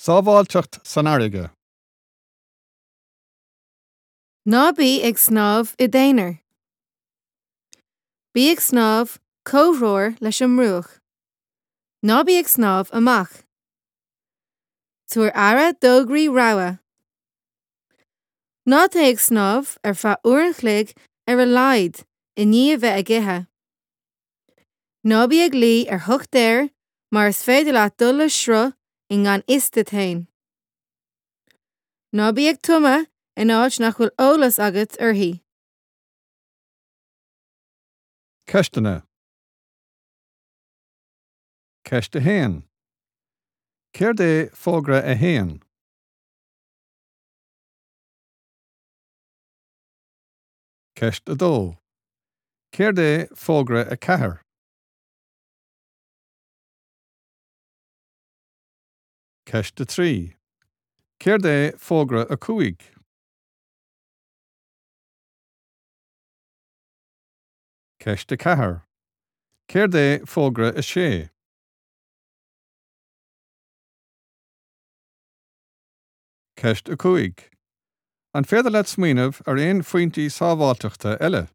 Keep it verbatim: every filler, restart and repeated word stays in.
Sábháilteacht san fharraige. Ná bí ag snámh i d'aonar. Bí ag snámh comhthreomhar leis an mbruach. Ná bí ag snámh amach. Tabhair aire d'fhógraí rabhaidh. Ná téigh ag snámh ar feadh uair an chloig ar a laghad i ndiaidh a bheith ag ithe. Ná bí ag luí ar shochtair mar is féidir leat dul le sruth i ngan fhios duit féin. Ná bí ag tumadh in áit nach bhfuil eolas agat uirthi. Ceisteanna. Ceist a haon. Céard é fógra a haon? Ceist a dó. Céard é fógra a ceathair? Ceist a trí. Céard é fógra a cúig? Ceist a ceathair. Céard é fógra a sé? Ceist a cúig. An féidir leat smaoineamh ar aon phointí sábháilteachta eile?